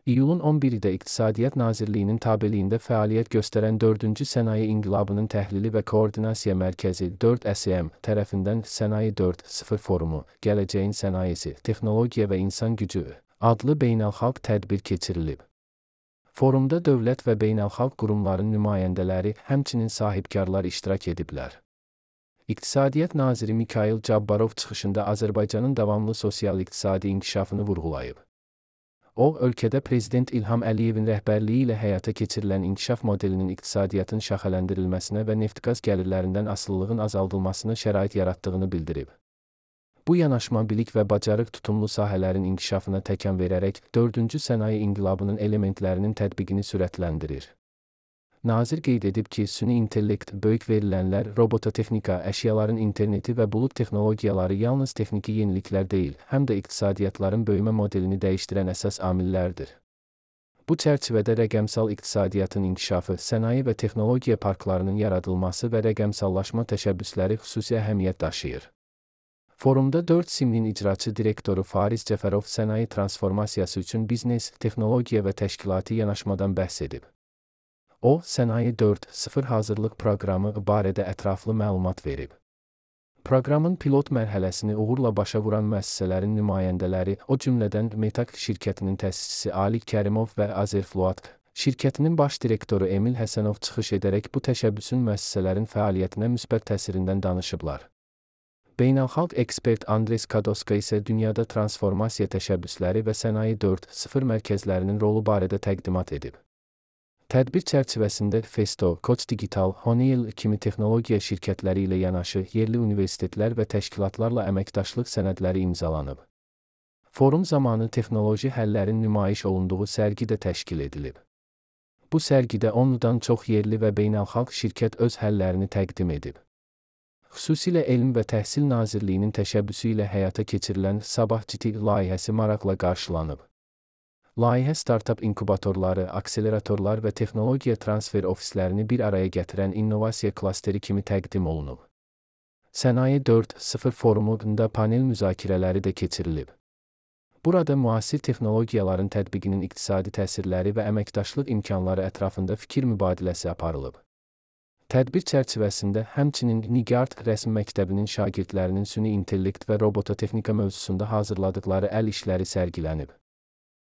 İyulun 11-də İqtisadiyyat Nazirliyinin tabeliyində fəaliyyət göstərən 4-cü Sənaye İnqilabının Təhlili və Koordinasiya Mərkəzi 4SM tərəfindən Sənaye 4.0 forumu, Gələcəyin Sənayesi, Texnologiya və İnsan Gücü adlı beynəlxalq tədbir keçirilib. Forumda dövlət və beynəlxalq qurumların nümayəndələri, həmçinin sahibkarlar iştirak ediblər. İqtisadiyyat Naziri Mikayıl Cabbarov çıxışında Azərbaycanın davamlı sosial-iqtisadi inkişafını vurğulayıb. O, ölkədə Prezident İlham Əliyevin rəhbərliyi ilə həyata keçirilən inkişaf modelinin iqtisadiyyatın şaxələndirilməsinə və neft-qaz gəlirlərindən asılılığın azaldılmasına şərait yaratdığını bildirib. Bu yanaşma bilik və bacarıq tutumlu sahələrin inkişafına təkan verərək 4-cü sənaye inqilabının elementlərinin tətbiqini sürətləndirir. Nazir qeyd edib ki, süni intellekt, böyük verilənlər, robototexnika, əşyaların interneti və bulud texnologiyaları yalnız texniki yeniliklər deyil, həm də iqtisadiyyatların böyümə modelini dəyişdirən əsas amillərdir. Bu çərçivədə rəqəmsal iqtisadiyyatın inkişafı, sənaye və texnologiya parklarının yaradılması və rəqəmsallaşma təşəbbüsləri xüsusi əhəmiyyət daşıyır. Forumda 4SIM-nin icraçı direktoru Fariz Cəfərov sənaye transformasiyası üçün biznes, texnologiya və təşkilati yanaşmadan bəhs edib. O, Sənaye 4.0 hazırlıq proqramı barədə ətraflı məlumat verib. Proqramın pilot mərhələsini uğurla başa vuran müəssisələrin nümayəndələri, o cümlədən Metak şirkətinin təsisçisi Alik Kərimov və Azerfloat şirkətinin baş direktoru Emil Həsənov çıxış edərək bu təşəbbüsün müəssisələrin fəaliyyətinə müsbət təsirindən danışıblar. Beynəlxalq ekspert Andres Kadoska isə dünyada transformasiya təşəbbüsləri və Sənaye 4.0 mərkəzlərinin rolu barədə təqdimat edib. Tədbir çərçivəsində Festo, Koç Digital, Honeywell kimi texnologiya şirkətləri ilə yanaşı yerli universitetlər və təşkilatlarla əməkdaşlıq sənədləri imzalanıb. Forum zamanı texnoloji həllərin nümayiş olunduğu sərgi də təşkil edilib. Bu sərgidə 10-dan çox yerli və beynəlxalq şirkət öz həllərini təqdim edib. Xüsusilə Elm və Təhsil Nazirliyinin təşəbbüsü ilə həyata keçirilən Sabah Citi layihəsi maraqla qarşılanıb. Layihə startap inkubatorları, akseleratorlar və texnologiya transfer ofislərini bir araya gətirən innovasiya klasteri kimi təqdim olunub. Sənaye 4.0 forumunda panel müzakirələri də keçirilib. Burada müasir texnologiyaların tətbiqinin iqtisadi təsirləri və əməkdaşlıq imkanları ətrafında fikir mübadiləsi aparılıb. Tədbir çərçivəsində həmçinin Nigard Rəsm Məktəbinin şagirdlərinin süni intellekt və robototexnika mövzusunda hazırladıqları əl işləri sərgilənib.